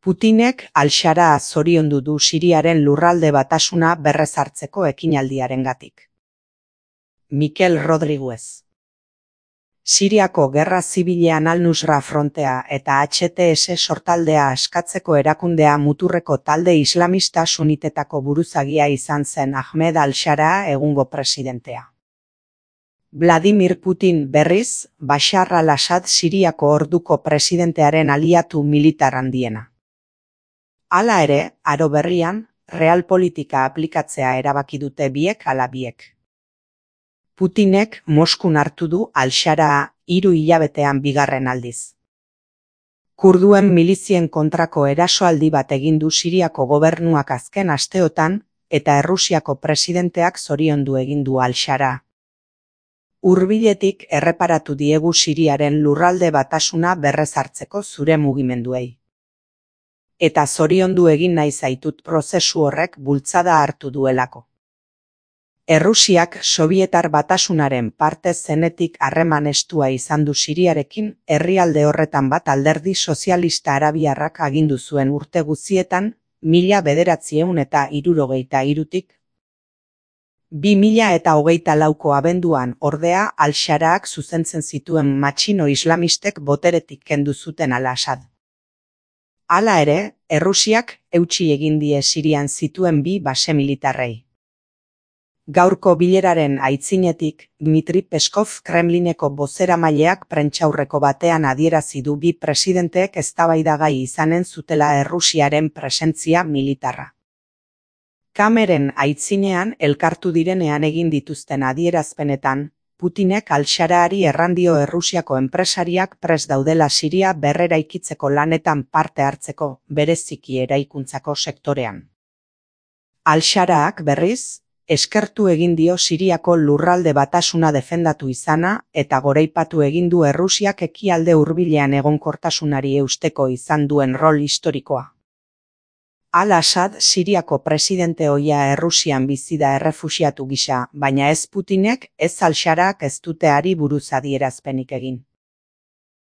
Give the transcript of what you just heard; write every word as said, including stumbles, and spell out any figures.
Putinek Al-Shara zoriondu du Siriaren lurralde batasuna berrezartzeko ekinaldiarengatik. Mikel Rodriguez. Siriako gerra zibilean Al-Nusra frontea eta H T S sortaldea askatzeko erakundea muturreko talde islamista sunitetako buruzagia izan zen Ahmed Al-Shara egungo presidentea. Vladimir Putin berriz, Bashar al-Assad Siriako orduko presidentearen aliatu militar handiena. Hala ere, aro berrian, realpolitika aplikatzea erabaki dute biek ala biek. Putinek Moskun hartu du Al-Sharaa hiru hilabetean bigarren aldiz. Kurduen milizien kontrako erasoaldi bat egin du Siriako gobernuak azken asteotan, eta Errusiako presidenteak zoriondu egin du Al-Sharaa. Hurbiletik erreparatu diegu Siriaren lurralde batasuna berrezartzeko zure mugimenduei. Eta zoriondu egin nahi zaitut prozesu horrek bultzada hartu duelako. Errusiak Sobietar batasunaren parte zenetik harreman estua izan du Siriarekin, herrialde horretan bat alderdi sozialista arabiarrak agindu zuen urte guztietan, mila bederatziehun eta hirurogeita hirutik. Bi mila eta hogeita lauko abenduan ordea Al-Sharaak zuzentzen zituen matxino islamistek boteretik kendu zuten Al-Assad. Hala ere, Errusiak eutsi egin die Sirian zituen bi base militarrei. Gaurko bileraren aitzinetik, Dmitri Peskov Kremlineko bozeramaileak prentsaurreko batean adierazi du bi presidenteek eztabaidagai izanen zutela Errusiaren presentzia militarra. Kameren aitzinean elkartu direnean egin dituzten adierazpenetan, Putinek Al-Sharaari errandio Errusiako enpresariak prest daudela Siria berreraikitzeko lanetan parte hartzeko, bereziki eraikuntzako sektorean. Al-Sharaak berriz, eskertu egin dio Siriako lurralde batasuna defendatu izana eta goraipatu egin du Errusiak ekialde hurbilean egonkortasunari eusteko izan duen rol historikoa. Al-Assad Siriako presidente ohia Errusian bizi da errefuxiatu gisa, baina ez Putinek ez Al-Sharaak ez dute hari buruz adierazpenik egin.